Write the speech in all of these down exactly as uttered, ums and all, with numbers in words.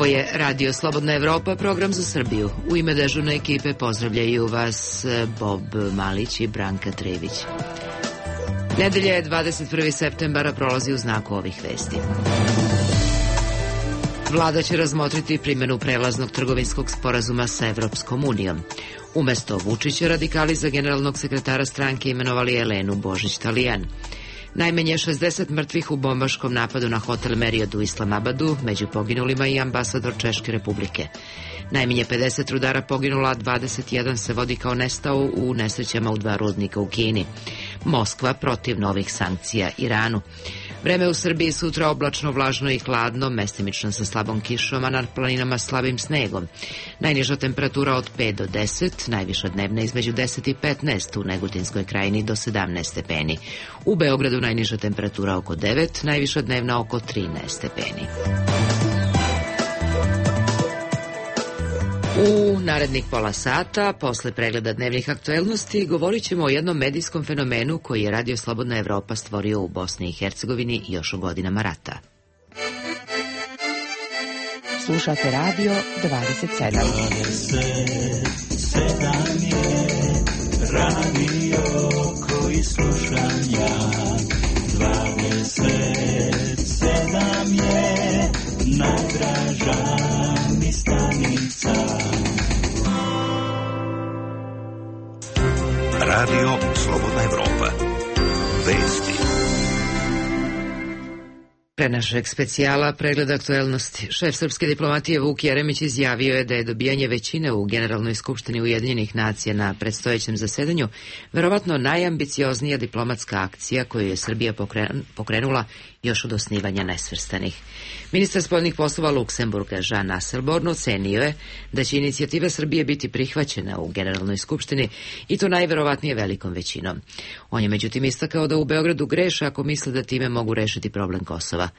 je Radio Slobodna Evropa, program za Srbiju. U ime dežurne ekipe pozdravljaju vas Bob Malić i Branka Trević. Nedelja je dvadeset prvog septembra, prolazi u znaku ovih vesti. Vlada će razmotriti primjenu prelaznog trgovinskog sporazuma sa Evropskom unijom. Umesto Vučića, radikali za generalnog sekretara stranke imenovali Elenu Božić-Talijan. Najmanje šezdeset mrtvih u bombaškom napadu na hotel Marriott u Islamabadu, među poginulima i ambasador Češke republike. Najmanje pedeset rudara poginula, dvadeset jedan se vodi kao nestao u nesrećama u dva rudnika u Kini. Moskva protiv novih sankcija Iranu. Vreme u Srbiji sutra oblačno, vlažno i hladno, mestimično sa slabom kišom, a na planinama slabim snegom. Najniža temperatura od pet do deset, najviša dnevna između deset i petnaest, u Negotinskoj krajini do sedamnaest stepeni. U Beogradu najniža temperatura oko devet, najviša dnevna oko trinaest stepeni. U narednih pola sata, posle pregleda dnevnih aktuelnosti, govorit ćemo o jednom medijskom fenomenu koji je Radio Slobodna Evropa stvorio u Bosni i Hercegovini još u godinama rata. Slušate Radio dvadeset sedam. dvadeset sedam je radio koji slušam ja. dvadeset sedam je najdraža mi stanica. Radio Slobodna Evropa. Vesti. Pre našeg specijala pregled aktuelnosti. Šef srpske diplomatije Vuk Jeremić izjavio je da je dobijanje većine u Generalnoj skupštini Ujedinjenih nacija na predstojećem zasedanju verovatno najambicioznija diplomatska akcija koju je Srbija pokrenula još od osnivanja Nesvrstanih. Ministar spoljnih poslova Luksemburga Jean Asselborn ocenio je da će inicijativa Srbije biti prihvaćena u Generalnoj skupštini i to najverovatnije velikom većinom. On je međutim istakao da u Beogradu greše ako misle da time mogu rešiti problem Kosova.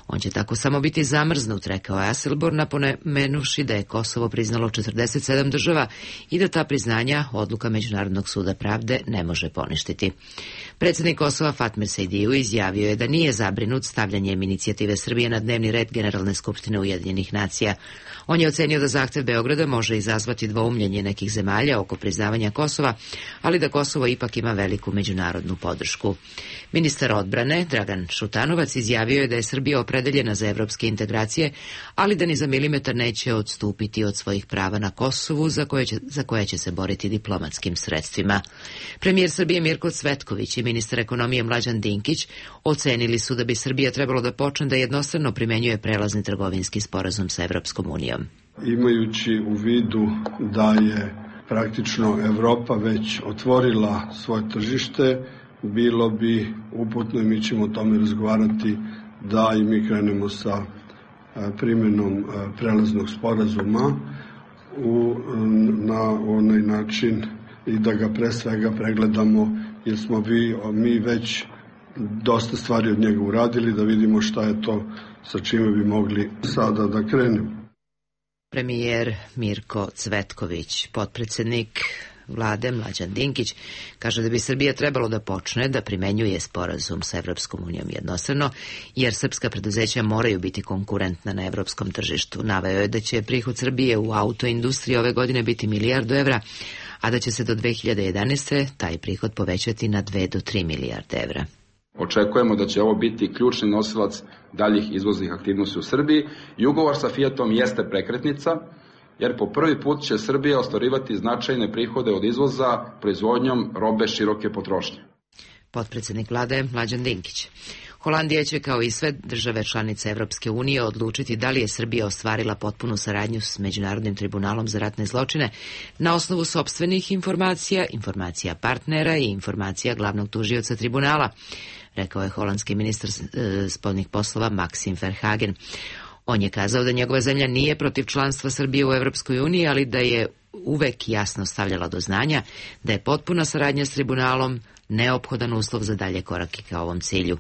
On će tako samo biti zamrznut, rekao je Asselborn, napomenuši da je Kosovo priznalo četrdeset sedam država i da ta priznanja odluka Međunarodnog suda pravde ne može poništiti. Predsjednik Kosova Fatmir Sejdiju izjavio je da nije zabrinut stavljanjem inicijative Srbije na dnevni red Generalne skupštine Ujedinjenih nacija. On je ocenio da zahtev Beograda može izazvati dvoumljenje nekih zemalja oko priznavanja Kosova, ali da Kosovo ipak ima veliku međunarodnu podršku. Ministar odbrane Dragan Šutanovac izjavio je da je Srbija opredeljena za evropske integracije, ali da ni za milimetar neće odstupiti od svojih prava na Kosovu, za koje će, za koje će se boriti diplomatskim sredstvima. Premijer Srbije Mirko Cvetković i ministar ekonomije Mlađan Dinkić ocenili su da bi Srbija trebalo da počne da jednostrano primenjuje prelazni trgovinski sporazum sa Evropskom unijom. Imajući u vidu da je praktično Evropa već otvorila svoje tržište, bilo bi uputno i mi ćemo o tome razgovarati da i mi krenemo sa primjenom prelaznog sporazuma u, na onaj način i da ga pre svega pregledamo, jer smo vi, mi već dosta stvari od njega uradili, da vidimo šta je to sa čime bi mogli sada da krenemo. Premijer Mirko Cvetković, potpredsjednik Vlade Mlađan Dinkić, kaže da bi Srbija trebalo da počne da primenjuje sporazum sa Evropskom unijom jednostrano, jer srpska preduzeća moraju biti konkurentna na evropskom tržištu. Naveo je da će prihod Srbije u autoindustriji ove godine biti milijardu evra, a da će se do dve hiljade jedanaeste. taj prihod povećati na dve do tri milijarde evra. Očekujemo da će ovo biti ključni nosilac daljih izvoznih aktivnosti u Srbiji i ugovor sa Fiatom jeste prekretnica, jer po prvi put će Srbija ostvarivati značajne prihode od izvoza proizvodnjom robe široke potrošnje. Potpredsjednik vlade Mlađan Dinkić. Holandija će kao i sve države članice Evropske unije odlučiti da li je Srbija ostvarila potpunu saradnju s Međunarodnim tribunalom za ratne zločine na osnovu sopstvenih informacija, informacija partnera i informacija glavnog tužioca tribunala, rekao je holandski ministar spoljnih poslova Maxim Verhagen. On je kazao da njegova zemlja nije protiv članstva Srbije u Evropskoj uniji, ali da je uvek jasno stavljala do znanja da je potpuna saradnja s tribunalom neophodan uslov za dalje korake ka ovom cilju.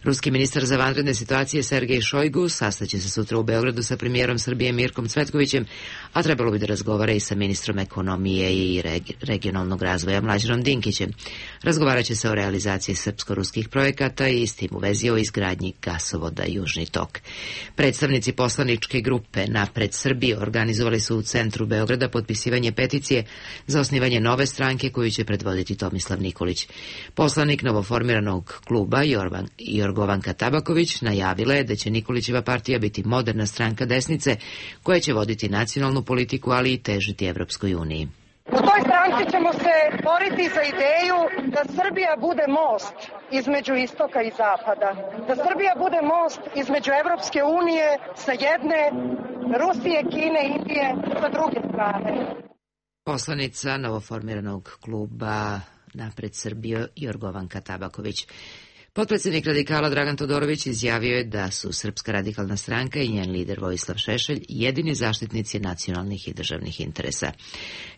Ruski ministar za vanredne situacije Sergej Šojgu sastaće se sutra u Beogradu sa premijerom Srbije Mirkom Cvetkovićem, a trebalo bi da razgovara i sa ministrom ekonomije i regionalnog razvoja Mlađanom Dinkićem. Razgovarat će se o realizaciji srpsko-ruskih projekata i s tim u vezi o izgradnji gasovoda Južni tok. Predstavnici poslaničke grupe Napred Srbije organizovali su u centru Beograda potpisivanje peticije za osnivanje nove stranke koju će predvoditi Tomislav Nikolić. Poslanik novoformiranog kluba Jorvan, Jorgovanka Tabaković najavila je da će Nikolićeva partija biti moderna stranka desnice koja će voditi nacionalnu politiku, ali i težiti Evropskoj uniji. U toj stranci ćemo se boriti za ideju da Srbija bude most između istoka i zapada. Da Srbija bude most između Evropske unije sa jedne, Rusije, Kine, Indije sa druge strane. Poslanica novoformiranog kluba Napred Srbije Jorgovanka Tabaković. Potpredsjednik radikala Dragan Todorović izjavio je da su Srpska radikalna stranka i njen lider Vojislav Šešelj jedini zaštitnici nacionalnih i državnih interesa.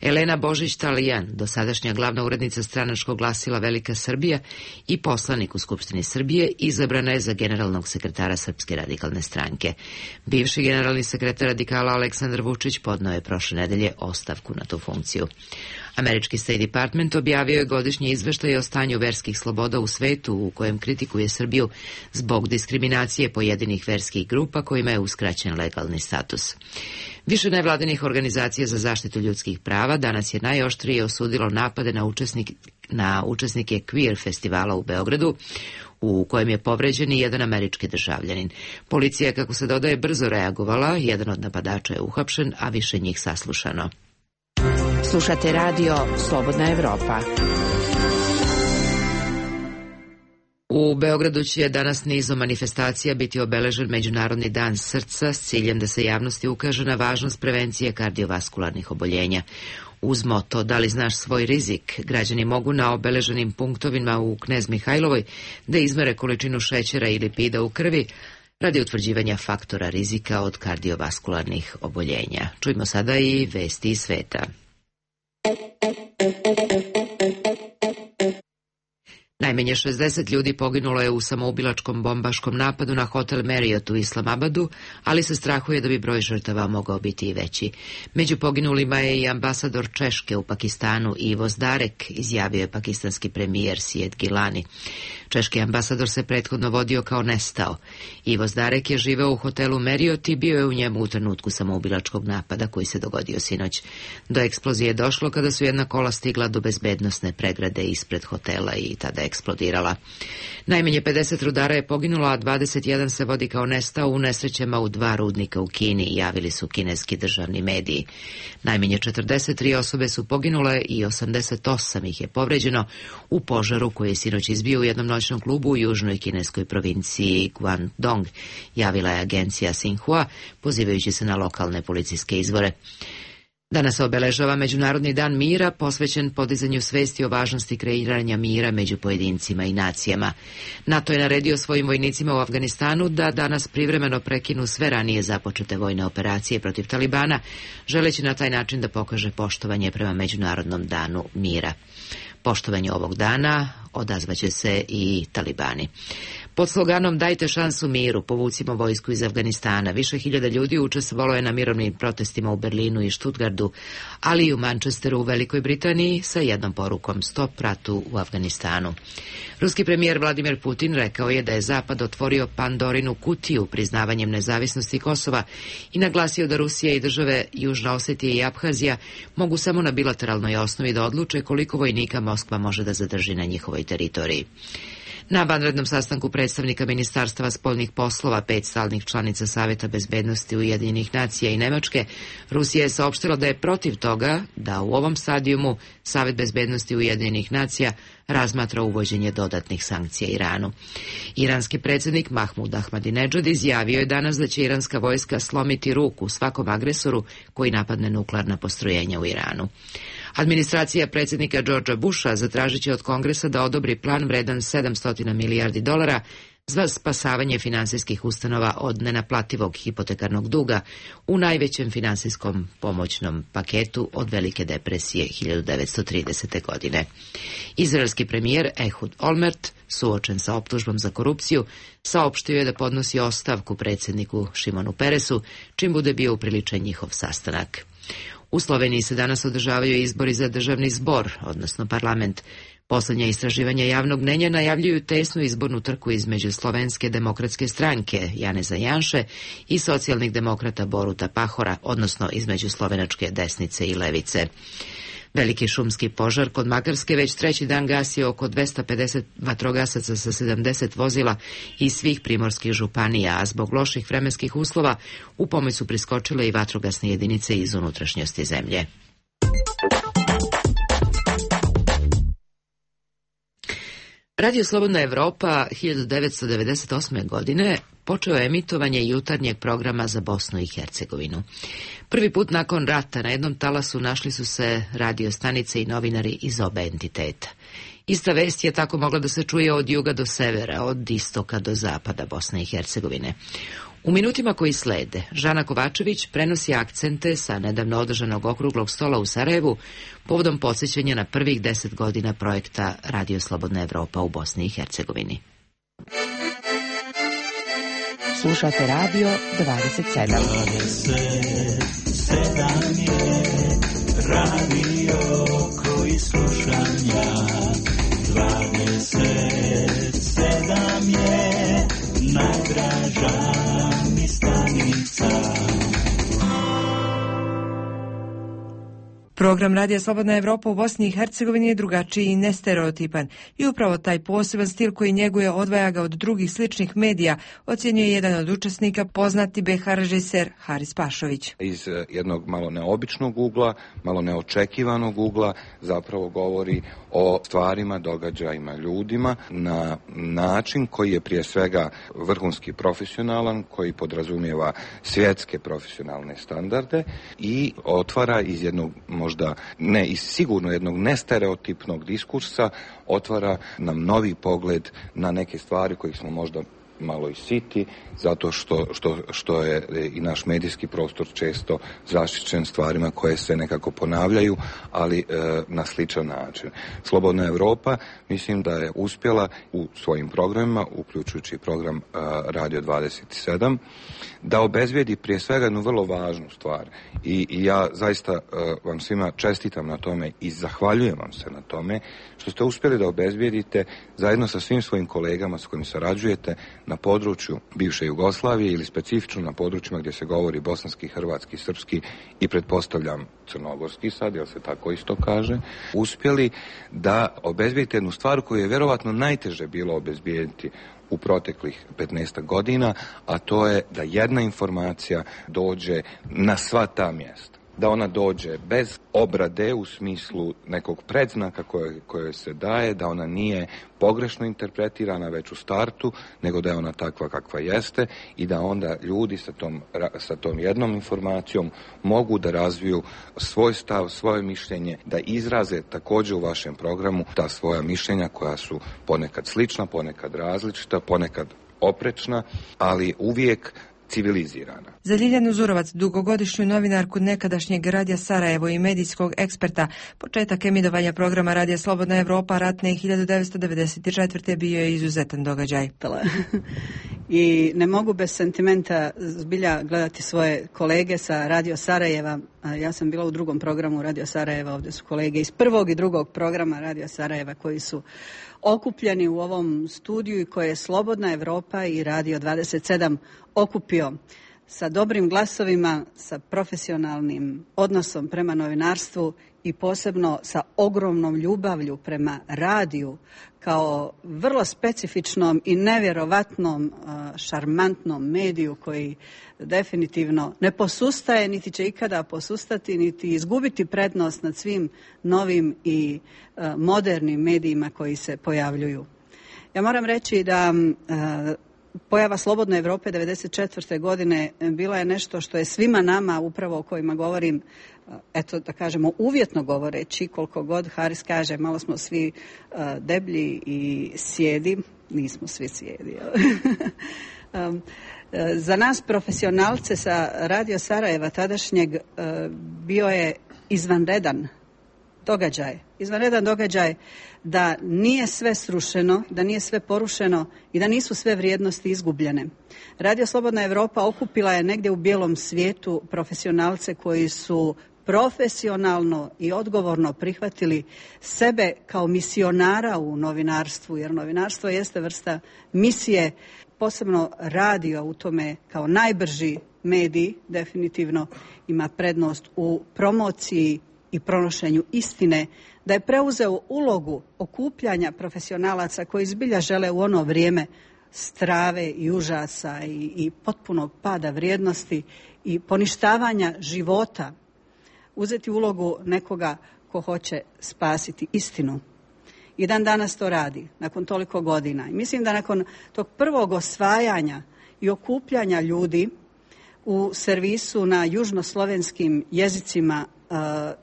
Elena Božić-Talijan, dosadašnja glavna urednica stranačkog glasila Velika Srbija i poslanik u Skupštini Srbije, izabrana je za generalnog sekretara Srpske radikalne stranke. Bivši generalni sekretar radikala Aleksandar Vučić podneo je prošle nedelje ostavku na tu funkciju. Američki State Department objavio je godišnji izveštaj o stanju verskih sloboda u svetu u kojem kritikuje Srbiju zbog diskriminacije pojedinih verskih grupa kojima je uskraćen legalni status. Više nevladinih organizacija za zaštitu ljudskih prava danas je najoštrije osudilo napade na, učesnik, na učesnike Queer festivala u Beogradu, u kojem je povređen i jedan američki državljanin. Policija, kako se dodaje, brzo reagovala, jedan od napadača je uhapšen, a više njih saslušano. Slušate radio Slobodna Evropa. U Beogradu će danas nizom manifestacija biti obeležen Međunarodni dan srca s ciljem da se javnosti ukaže na važnost prevencije kardiovaskularnih oboljenja. Uz moto "Da li znaš svoj rizik", građani mogu na obeleženim punktovima u Knez Mihajlovoj da izmere količinu šećera i lipida u krvi radi utvrđivanja faktora rizika od kardiovaskularnih oboljenja. Čujmo sada i vesti iz sveta. Najmanje šezdeset ljudi poginulo je u samoubilačkom bombaškom napadu na hotel Marriott u Islamabadu, ali se strahuje da bi broj žrtava mogao biti i veći. Među poginulima je i ambasador Češke u Pakistanu Ivo Zdarek, izjavio je pakistanski premijer Syed Gilani. Češki ambasador se prethodno vodio kao nestao. Ivo Zdarek je živeo u hotelu Marriott i bio je u njemu u trenutku samoubilačkog napada koji se dogodio sinoć. Do eksplozije je došlo kada su jedna kola stigla do bezbednosne pregrade ispred hotela i tada je eksplodirala. Najmanje pedeset rudara je poginulo, a dvadeset jedan se vodi kao nestao u nesrećama u dva rudnika u Kini, javili su kineski državni mediji. Najmanje četrdeset tri osobe su poginule i osamdeset osam ih je povređeno u požaru koji je sinoć izbio u jednom noćnom klubu u južnoj kineskoj provinciji Guangdong, javila je agencija Xinhua, pozivajući se na lokalne policijske izvore. Danas se obeležava Međunarodni dan mira, posvećen podizanju svesti o važnosti kreiranja mira među pojedincima i nacijama. NATO je naredio svojim vojnicima u Afganistanu da danas privremeno prekinu sve ranije započete vojne operacije protiv Talibana, želeći na taj način da pokaže poštovanje prema Međunarodnom danu mira. Poštovanje ovog dana odazvaće se i Talibani. Pod sloganom "Dajte šansu miru, povucimo vojsku iz Afganistana", više hiljada ljudi učestvovalo je na mirovnim protestima u Berlinu i Stuttgartu, ali i u Manchesteru u Velikoj Britaniji sa jednom porukom "Stop ratu u Afganistanu". Ruski premijer Vladimir Putin rekao je da je Zapad otvorio Pandorinu kutiju priznavanjem nezavisnosti Kosova i naglasio da Rusija i države Južna Osetija i Abhazija mogu samo na bilateralnoj osnovi da odluče koliko vojnika Moskva može da zadrži na njihovoj teritoriji. Na vanrednom sastanku predstavnika Ministarstava spoljnih poslova pet stalnih članica Saveta bezbednosti Ujedinjenih nacija i Nemačke, Rusija je saopštila da je protiv toga da u ovom stadijumu Savet bezbednosti Ujedinjenih nacija razmatra uvođenje dodatnih sankcija Iranu. Iranski predsjednik Mahmud Ahmadinedžad izjavio je danas da će iranska vojska slomiti ruku svakom agresoru koji napadne nuklearna postrojenja u Iranu. Administracija predsjednika Georgea Busha zatražit će od Kongresa da odobri plan vredan sedamsto milijardi dolara za spasavanje finansijskih ustanova od nenaplativog hipotekarnog duga u najvećem finansijskom pomoćnom paketu od Velike depresije hiljadu devetsto tridesete. godine. Izraelski premijer Ehud Olmert suočen sa optužbom za korupciju, saopštio je da podnosi ostavku predsjedniku Šimonu Peresu, čim bude bio upriličen njihov sastanak. U Sloveniji se danas održavaju izbori za državni zbor, odnosno parlament. Poslednja istraživanja javnog mnenja najavljuju tesnu izbornu trku između Slovenske demokratske stranke Janeza Janše i socijalnih demokrata Boruta Pahora, odnosno između slovenačke desnice i levice. Veliki šumski požar kod Makarske već treći dan gasi oko dvesta pedeset vatrogasaca sa sedamdeset vozila iz svih primorskih županija, a zbog loših vremenskih uslova u pomoć su priskočile i vatrogasne jedinice iz unutrašnjosti zemlje. Radio Slobodna Evropa hiljadu devetsto devedeset osme. godine počeo je emitovanje jutarnjeg programa za Bosnu i Hercegovinu. Prvi put nakon rata na jednom talasu našli su se radio stanice i novinari iz oba entiteta. Ista vest je tako mogla da se čuje od juga do severa, od istoka do zapada Bosne i Hercegovine. U minutima koji slede, Žana Kovačević prenosi akcente sa nedavno održanog okruglog stola u Sarajevu povodom podsjećanja na prvih deset godina projekta Radio Slobodna Evropa u Bosni i Hercegovini. Slušate Radio dvadeset sedam. dvadeset sedam je radio koji slušam ja. dvadeset sedam je najdraža mi stanica. Program Radija Slobodna Evropa u Bosni i Hercegovini je drugačiji i nestereotipan i upravo taj poseban stil koji njeguje odvaja ga od drugih sličnih medija, ocjenjuje jedan od učesnika, poznati be ha režiser Haris Pašović. Iz jednog malo neobičnog ugla, malo neočekivanog ugla zapravo govori o stvarima, događajima, ljudima na način koji je prije svega vrhunski profesionalan, koji podrazumijeva svjetske profesionalne standarde i otvara iz jednog možda ne iz sigurno jednog nestereotipnog diskursa, otvara nam novi pogled na neke stvari kojih smo možda malo i siti, zato što, što, što je i naš medijski prostor često zaštićen stvarima koje se nekako ponavljaju, ali e, na sličan način. Slobodna Evropa mislim da je uspjela u svojim programima, uključujući program e, Radio dvadeset sedam, da obezbijedi prije svega jednu vrlo važnu stvar. I, i ja zaista e, vam svima čestitam na tome i zahvaljujem vam se na tome što ste uspjeli da obezbijedite zajedno sa svim svojim kolegama s kojim sarađujete na području bivše Jugoslavije ili specifično na područjima gdje se govori bosanski, hrvatski, srpski i pretpostavljam crnogorski sad, jel se tako isto kaže, uspjeli da obezbijedite jednu stvar koju je vjerovatno najteže bilo obezbijediti u proteklih petnaestak godina, a to je da jedna informacija dođe na sva ta mjesta. Da ona dođe bez obrade u smislu nekog predznaka koje, koje se daje, da ona nije pogrešno interpretirana već u startu, nego da je ona takva kakva jeste i da onda ljudi sa tom, sa tom jednom informacijom mogu da razviju svoj stav, svoje mišljenje, da izraze također u vašem programu ta svoja mišljenja koja su ponekad slična, ponekad različita, ponekad oprečna, ali uvijek civilizirana. Za Ljiljanu Zurovac, dugogodišnju novinarku nekadašnjeg Radija Sarajevo i medijskog eksperta, početak emitovanja programa Radija Slobodna Evropa ratne hiljadu devetsto devedeset četvrte. bio je izuzetan događaj. I ne mogu bez sentimenta zbilja gledati svoje kolege sa Radio Sarajeva. Ja sam bila u drugom programu Radio Sarajeva, ovdje su kolege iz prvog i drugog programa Radio Sarajeva koji su okupljeni u ovom studiju i koje je Slobodna Evropa i Radio dvadeset sedam okupio sa dobrim glasovima, sa profesionalnim odnosom prema novinarstvu i posebno sa ogromnom ljubavlju prema radiju kao vrlo specifičnom i nevjerovatnom, šarmantnom mediju koji definitivno ne posustaje, niti će ikada posustati, niti izgubiti prednost nad svim novim i modernim medijima koji se pojavljuju. Ja moram reći da pojava Slobodne Evrope devedeset četvrte. godine bila je nešto što je svima nama, upravo o kojima govorim, eto da kažemo uvjetno govoreći, koliko god Haris kaže, malo smo svi uh, deblji i sjedi, nismo svi sjedi. um, za nas profesionalce sa Radio Sarajeva tadašnjeg uh, bio je izvanredan događaj, izvanredan događaj da nije sve srušeno, da nije sve porušeno i da nisu sve vrijednosti izgubljene. Radio Slobodna Evropa okupila je negdje u bijelom svijetu profesionalce koji su profesionalno i odgovorno prihvatili sebe kao misionara u novinarstvu, jer novinarstvo jeste vrsta misije, posebno radio u tome kao najbrži medij, definitivno ima prednost u promociji i pronošenju istine, da je preuzeo ulogu okupljanja profesionalaca koji zbilja žele u ono vrijeme strave i užasa i, i potpunog pada vrijednosti i poništavanja života, uzeti ulogu nekoga ko hoće spasiti istinu. I dan danas to radi, nakon toliko godina. I mislim da nakon tog prvog osvajanja i okupljanja ljudi u servisu na južnoslovenskim jezicima,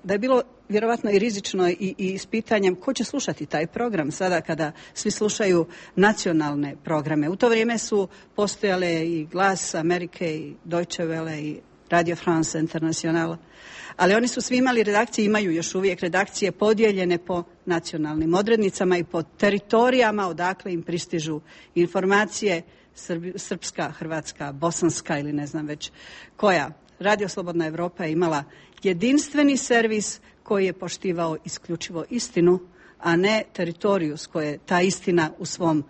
da je bilo vjerovatno i rizično i, i s pitanjem ko će slušati taj program sada kada svi slušaju nacionalne programe. U to vrijeme su postojale i Glas Amerike i Deutsche Welle i Radio France International, ali oni su svi imali redakcije, imaju još uvijek redakcije podijeljene po nacionalnim odrednicama i po teritorijama odakle im pristižu informacije, Srbi, srpska, hrvatska, bosanska ili ne znam već koja. Radio Slobodna Evropa je imala jedinstveni servis koji je poštivao isključivo istinu, a ne teritoriju s koje ta istina u svom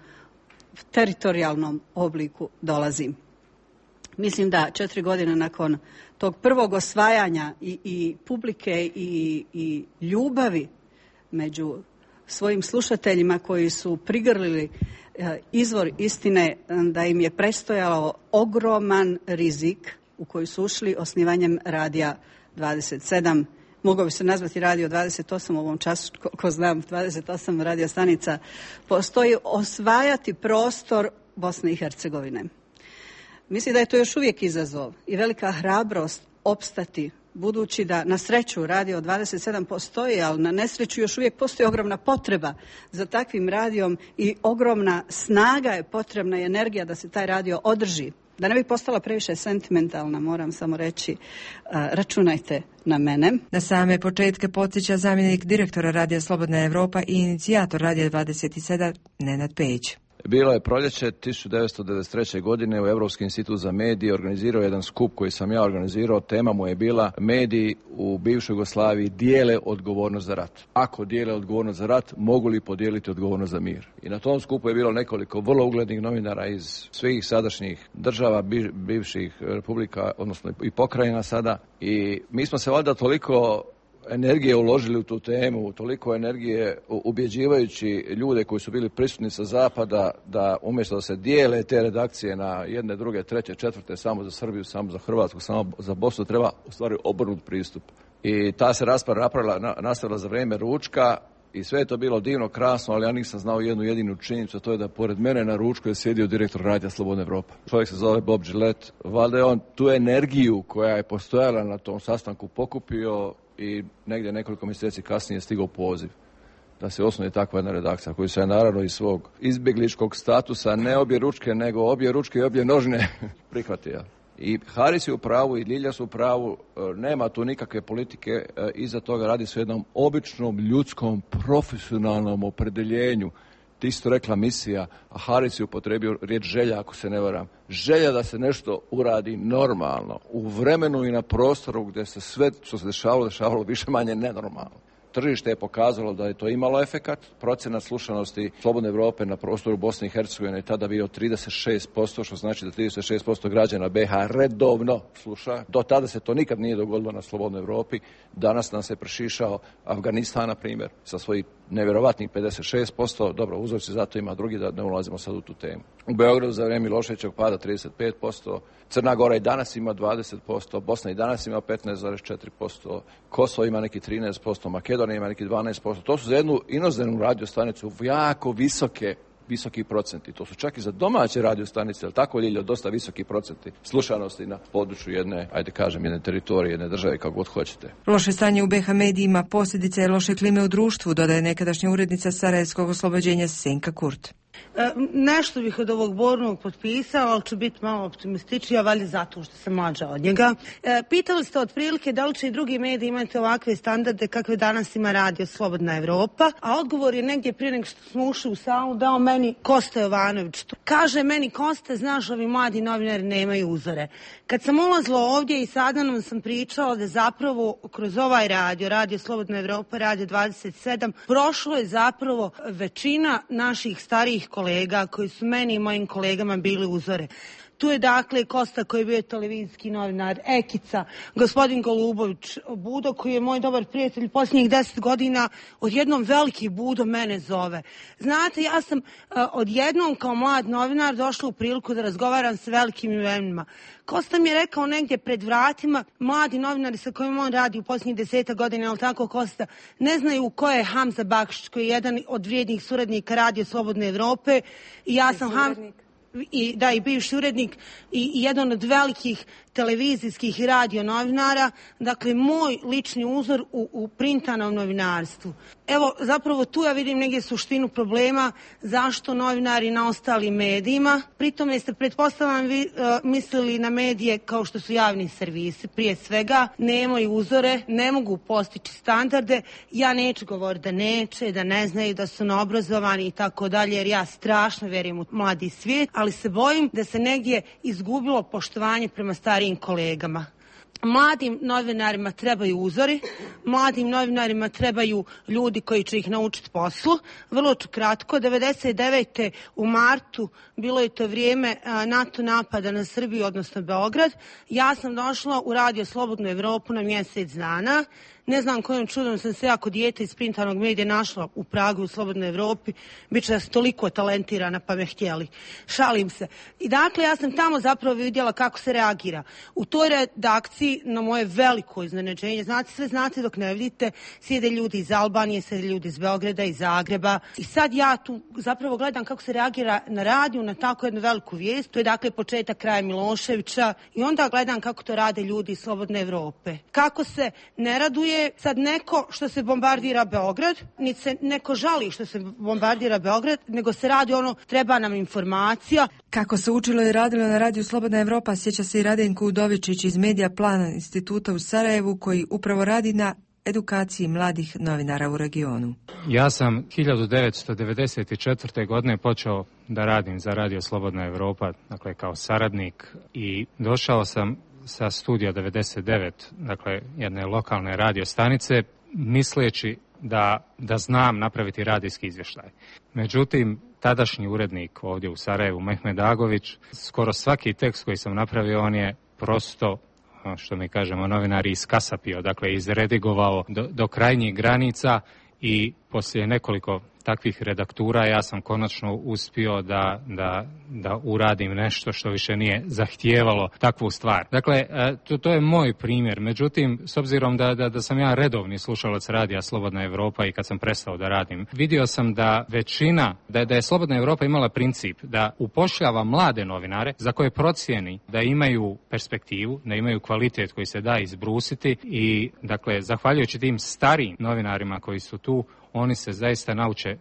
teritorijalnom obliku dolazi. Mislim da četiri godine nakon tog prvog osvajanja i, i publike i, i ljubavi među svojim slušateljima koji su prigrlili e, izvor istine, da im je prestojalo ogroman rizik u koji su ušli osnivanjem Radija dvadeset sedam. Mogao bi se nazvati Radio dvadeset osam u ovom času, ko, ko znam, dvadeset osam radio stanica postoji, osvajati prostor Bosne i Hercegovine. Mislim da je to još uvijek izazov i velika hrabrost opstati, budući da na sreću Radio dvadeset sedam postoji, ali na nesreću još uvijek postoji ogromna potreba za takvim radijom i ogromna snaga je potrebna i energija da se taj radio održi. Da ne bi postala previše sentimentalna, moram samo reći, računajte na mene. Na same početke podsjeća zamjenik direktora Radija Slobodna Evropa i inicijator Radija dvadeset sedam Nenad Pejić. Bilo je proljeće tisuću devetsto devedeset treće. godine u Europski institut za medije organizirao jedan skup koji sam ja organizirao. Tema mu je bila mediji u bivšoj Jugoslaviji dijele odgovornost za rat. Ako dijele odgovornost za rat, mogu li podijeliti odgovornost za mir? I na tom skupu je bilo nekoliko vrlo uglednih novinara iz svih sadašnjih država, bivših republika, odnosno i pokrajina sada. I mi smo se valjda toliko energije uložili u tu temu, toliko energije ubjeđivajući ljude koji su bili prisutni sa zapada da umjesto da se dijele te redakcije na jedne, druge, treće, četvrte, samo za Srbiju, samo za Hrvatsku, samo za Bosnu, treba u stvari obrnut pristup. I ta se rasprava napravila, nastavila za vrijeme ručka i sve je to bilo divno, krasno, ali ja nisam znao jednu jedinu činjenicu, a to je da pored mene na ručku je sjedio direktor Radija Slobodna Evropa. Čovjek se zove Bob Gillette. Valjda je on tu energiju koja je postojala na tom sastanku pokupio i negdje nekoliko mjeseci kasnije stigao poziv da se osnuje takva jedna redakcija koju se je naravno iz svog izbjegličkog statusa, ne obje ručke, nego obje ručke i obje nožne prihvatio. I Haris je u pravu i Ljilja su u pravu, nema tu nikakve politike, iza toga radi se o jednom običnom, ljudskom, profesionalnom opredeljenju. Ti isto rekla misija, a Haris je upotrebio riječ želja, ako se ne varam. Želja da se nešto uradi normalno, u vremenu i na prostoru gdje se sve što se dešavalo, dešavalo više manje nenormalno. Tržište je pokazalo da je to imalo efekat. Procenat slušanosti Slobodne Evrope na prostoru Bosne i Hercegovine je tada bio trideset šest posto, što znači da trideset šest posto građana B iH redovno sluša. Do tada se to nikad nije dogodilo na Slobodnoj Evropi. Danas nam se prešišao Afganistan, na primjer, sa svojih nevjerovatnih pedeset šest posto. Dobro, uzorci zato ima drugi, da ne ulazimo sad u tu temu. U Beogradu za vrijeme Miloševićevog pada trideset pet posto. Crna Gora i danas ima dvadeset posto. Bosna i danas ima petnaest zarez četiri posto. Kosovo ima neki trinaest posto. Makedonija ima neki dvanaest posto. To su za jednu inozemnu radiostanicu jako visoke visoki procenti. To su čak i za domaće radiostanice, ali tako Ljiljo, dosta visoki procenti slušanosti na području jedne, ajde kažem, jedne teritorije, jedne države, kako god hoćete. Loše stanje u B iH medijima posljedica je loše klime u društvu, dodaje nekadašnja urednica Sarajevskog oslobođenja Senka Kurt. E, nešto bih od ovog Bornog potpisala, ali ću biti malo optimističnija, valjda zato što sam mlađa od njega. E, pitali ste otprilike da li će i drugi mediji imati ovakve standarde kakve danas ima radio Slobodna Evropa, a odgovor je negdje prije nego što smo ušli u salu dao meni Kosta Jovanović. Kaže meni, Kosta, znaš, ovi mladi novinari nemaju uzore. Kad sam ulazila ovdje i sada nam sam pričala da zapravo kroz ovaj radio, radio Slobodna Evropa, radio dvadeset sedam, prošlo je zapravo većina naših starijih kolega koji su meni i mojim kolegama bili uzore. Tu je dakle Kosta koji je bio televizijski novinar, Ekica, gospodin Golubović, Budo koji je moj dobar prijatelj posljednjih deset godina, odjednom veliki Budo mene zove. Znate, ja sam uh, odjednom kao mlad novinar došla u priliku da razgovaram s velikim imenima. Kosta mi je rekao negdje pred vratima, mladi novinari sa kojim on radi u posljednjih deseta godina, ali tako Kosta, ne znaju ko je Hamza Bakšić, koji je jedan od vrijednih suradnika Radio Slobodne Evrope. I ja sam Hamza... I, da, i bivši urednik i, i jedan od velikih televizijskih i radio novinara, dakle moj lični uzor u, u printanom novinarstvu. Evo, zapravo tu ja vidim negdje suštinu problema zašto novinari na ostalim medijima. Pritom ste, pretpostavljam, vi uh, mislili na medije kao što su javni servisi. Prije svega, nemaju uzore, ne mogu postići standarde. Ja neću govoriti da neće, da ne znaju, da su neobrazovani i tako dalje, jer ja strašno vjerujem u mladi svijet, ali se bojim da se negdje izgubilo poštovanje prema starijim kolegama. Mladim novinarima trebaju uzori, mladim novinarima trebaju ljudi koji će ih naučiti poslu. Vrlo ću kratko, devedeset devete u martu bilo je to vrijeme NATO napada na Srbiju, odnosno Beograd. Ja sam došla u Radio Slobodnu Evropu na mjesec dana. Ne znam kojim čudom sam se jako dijete iz printanog medija našla u Pragu u Slobodnoj Evropi. Biće da sam toliko talentirana pa me htjeli. Šalim se. I dakle ja sam tamo zapravo vidjela kako se reagira. U toj redakciji na moje veliko iznenađenje, znate, sve znate dok ne vidite, sjede ljudi iz Albanije, sjede ljudi iz Beograda, iz Zagreba. I sad ja tu zapravo gledam kako se reagira na radiju, na tako jednu veliku vijest. To je dakle početak kraja Miloševića. I onda gledam kako to rade ljudi iz Slobodne Evrope. Kako se ne raduje sad neko što se bombardira Beograd, niti se neko žali što se bombardira Beograd, nego se radi ono, treba nam informacija. Kako se učilo i radilo na radiju Slobodna Evropa, sjeća se i Radenko Udovičić iz Medija Plana instituta u Sarajevu, koji upravo radi na edukaciji mladih novinara u regionu. Ja sam hiljadu devetsto devedeset četvrte. godine počeo da radim za radio Slobodna Evropa, dakle kao saradnik, i došao sam sa studija devedeset devet, dakle jedne lokalne radio stanice, misleći da, da znam napraviti radijski izvještaj. Međutim, tadašnji urednik ovdje u Sarajevu, Mehmed Agović, skoro svaki tekst koji sam napravio, on je prosto, što mi kažemo novinari, iskasapio, dakle izredigovao do, do krajnjih granica, i poslije nekoliko takvih redaktura ja sam konačno uspio da, da, da uradim nešto što više nije zahtijevalo takvu stvar. Dakle, to, to je moj primjer. Međutim, s obzirom da, da, da sam ja redovni slušalac radija Slobodna Evropa i kad sam prestao da radim, vidio sam da većina, da, da je Slobodna Evropa imala princip da upošljava mlade novinare za koje procijeni da imaju perspektivu, da imaju kvalitet koji se da izbrusiti, i dakle, zahvaljujući tim starijim novinarima koji su tu, oni se zaista nauče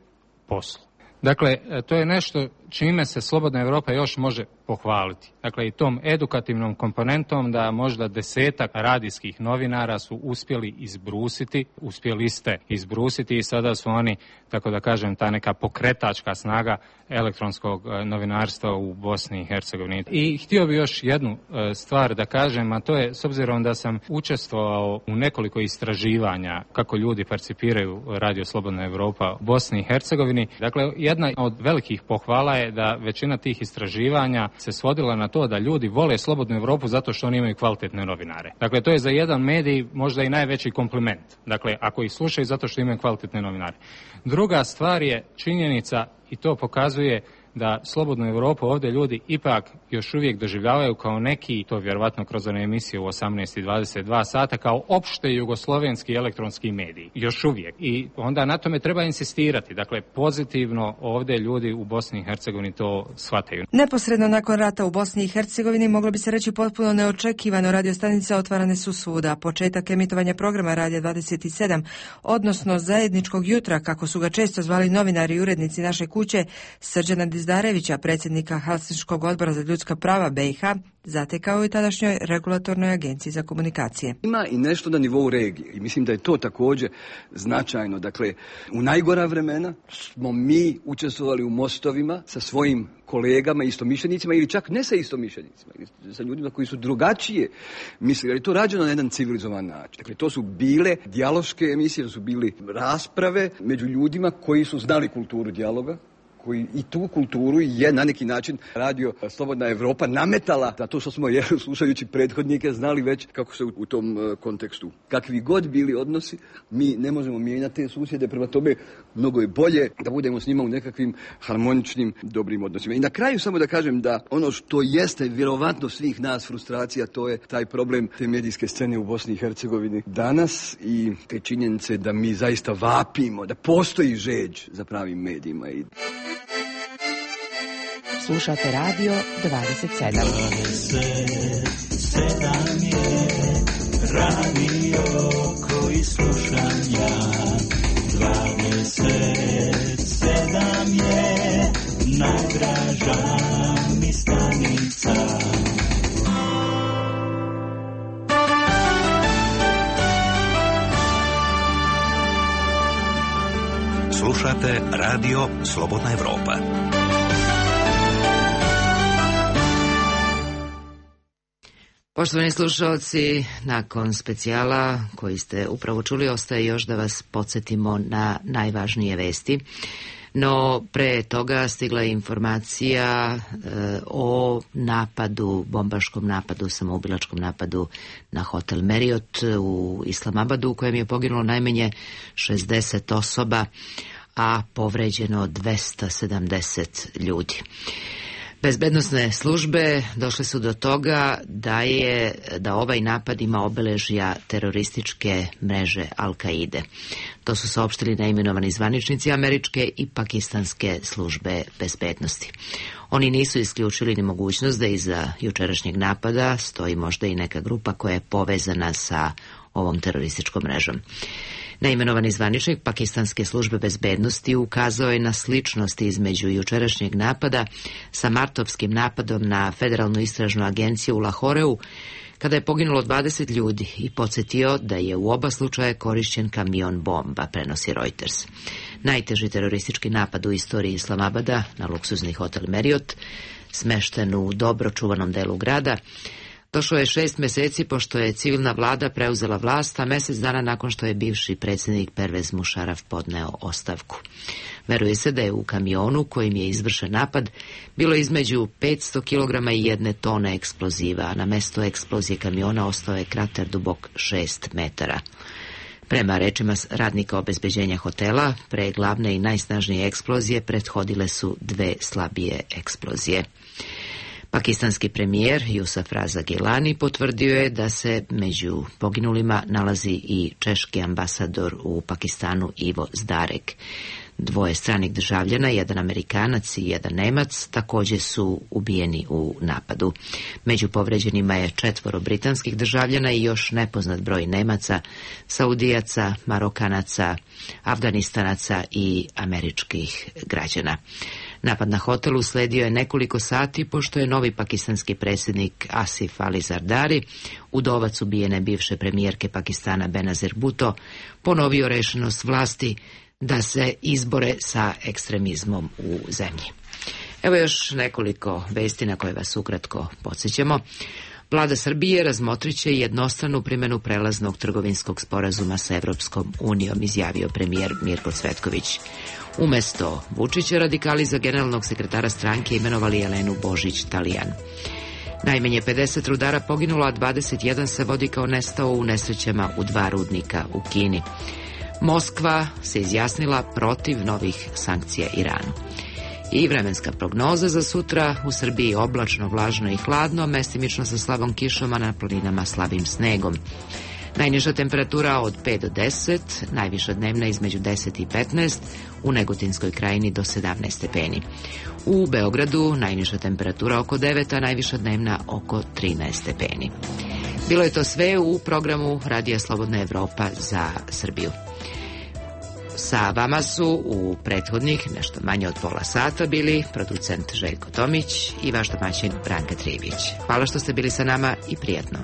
poslu. Dakle, to je nešto čime se Slobodna Evropa još može pohvaliti. Dakle, i tom edukativnom komponentom da možda desetak radijskih novinara su uspjeli izbrusiti, uspjeli ste izbrusiti i sada su oni, tako da kažem, ta neka pokretačka snaga elektronskog novinarstva u Bosni i Hercegovini. I htio bi još jednu stvar da kažem, a to je, s obzirom da sam učestvovao u nekoliko istraživanja kako ljudi percipiraju Radio Slobodna Evropa u Bosni i Hercegovini, dakle, jedna od velikih pohvala je da većina tih istraživanja se svodila na to da ljudi vole Slobodnu Evropu zato što oni imaju kvalitetne novinare. Dakle, to je za jedan medij možda i najveći kompliment. Dakle, ako ih slušaju zato što imaju kvalitetne novinare. Druga stvar je činjenica, i to pokazuje da slobodnu Europu ovdje ljudi ipak još uvijek doživljavaju kao neki, to vjerovatno kroz one emisije u osamnaest i dvadeset dva sata, kao opšte jugoslovenski elektronski mediji. Još uvijek. I onda na tome treba insistirati. Dakle, pozitivno ovdje ljudi u Bosni i Hercegovini to shvataju. Neposredno nakon rata u Bosni i Hercegovini, moglo bi se reći potpuno neočekivano, radiostanica otvarane su svuda. Početak emitovanja programa Radija dvadeset sedam, odnosno zajedničkog jutra, kako su ga često zvali novinari i urednici naše kuće, Srđana Dizdarevića, predsjednika Helsinškog odbora za ljudska prava B i H, zatekao i tadašnjoj regulatornoj agenciji za komunikacije. Ima i nešto na nivou regije i mislim da je to također značajno. Dakle, u najgora vremena smo mi učestvovali u mostovima sa svojim kolegama, istomišljenicima ili čak ne sa istomišljenicima, ili sa ljudima koji su drugačije mislili, ali to rađeno na jedan civilizovan način. Dakle, to su bile dijaloške emisije, to su bili rasprave među ljudima koji su znali kulturu dijaloga, koji i tu kulturu je na neki način radio Slobodna Evropa nametala, da to što smo je, slušajući prethodnike znali već kako se u, u tom uh, kontekstu. Kakvi god bili odnosi, mi ne možemo mijenjati te susjede, prema tome mnogo je bolje da budemo s njima u nekakvim harmoničnim, dobrim odnosima. I na kraju samo da kažem da ono što jeste vjerovatno svih nas frustracija, to je taj problem te medijske scene u Bosni i Hercegovini danas i te činjenice da mi zaista vapimo, da postoji žeđ za pravim medijima. I slušate Radio dvadeset sedam. dvadeset sedam je radio koji slušam ja. dvadeset sedam je najdraža mi stanica. Slušate Radio Slobodna Evropa. Poštovani slušalci, nakon specijala koji ste upravo čuli, ostaje još da vas podsjetimo na najvažnije vesti. No, pre toga stigla je informacija e, o napadu, bombaškom napadu, samoubilačkom napadu na hotel Marriott u Islamabadu, u kojem je poginulo najmanje šezdeset osoba, a povređeno dvesta sedamdeset ljudi. Bezbednosne službe došle su do toga da je da ovaj napad ima obeležja terorističke mreže Al-Kaide. To su saopštili neimenovani zvaničnici američke i pakistanske službe bezbednosti. Oni nisu isključili ni mogućnost da iza jučerašnjeg napada stoji možda i neka grupa koja je povezana sa ovom terorističkom mrežom. Neimenovani zvaničnik pakistanske službe bezbednosti ukazao je na sličnosti između jučerašnjeg napada sa martovskim napadom na Federalnu istražnu agenciju u Lahoreu, kada je poginulo dvadeset ljudi, i podsjetio da je u oba slučaja korišćen kamion bomba, prenosi Reuters. Najteži teroristički napad u istoriji Islamabada na luksuzni hotel Marriott, smešten u dobro čuvanom delu grada, došlo je šest mjeseci pošto je civilna vlada preuzela vlast, a mjesec dana nakon što je bivši predsjednik Pervez Musharraf podneo ostavku. Veruje se da je u kamionu kojim je izvršen napad bilo između petsto kilograma i jedne tone eksploziva, a na mjestu eksplozije kamiona ostao je krater dubok šest metara. Prema rečima radnika obezbeđenja hotela, pre glavne i najsnažnije eksplozije prethodile su dve slabije eksplozije. Pakistanski premijer Jusuf Raza Gilani potvrdio je da se među poginulima nalazi i češki ambasador u Pakistanu Ivo Zdarek. Dvoje stranih državljana, jedan Amerikanac i jedan Nemac, također su ubijeni u napadu. Među povređenima je četvoro britanskih državljana i još nepoznat broj Nemaca, Saudijaca, Marokanaca, Afganistanaca i američkih građana. Napad na hotel usledio je nekoliko sati pošto je novi pakistanski predsjednik Asif Ali Zardari, udovac ubijene bivše premijerke Pakistana Benazir Bhutto, ponovio rešenost vlasti da se izbore sa ekstremizmom u zemlji. Evo još nekoliko vesti na koje vas ukratko podsjećamo. Vlada Srbije razmotrit će jednostranu primjenu prelaznog trgovinskog sporazuma sa Evropskom unijom, izjavio premijer Mirko Cvetković. Umesto Vučića, radikali za generalnog sekretara stranke imenovali Jelenu Božić-Talijan. Najmanje pedeset rudara poginulo, a dvadeset jedan se vodi kao nestao u nesrećama u dva rudnika u Kini. Moskva se izjasnila protiv novih sankcija Iranu. I vremenska prognoza za sutra: u Srbiji oblačno, vlažno i hladno, mestimično sa slabom kišom, a na planinama slabim snegom. Najniža temperatura od pet do deset, najviša dnevna između deset i petnaest, u Negotinskoj krajini do sedamnaest stepeni. U Beogradu najniža temperatura oko devet, a najviša dnevna oko trinaest stepeni. Bilo je to sve u programu Radija Slobodna Evropa za Srbiju. Sa vama su u prethodnih nešto manje od pola sata bili producent Željko Tomić i vaš domaćin Branka Trivić. Hvala što ste bili sa nama i prijatno.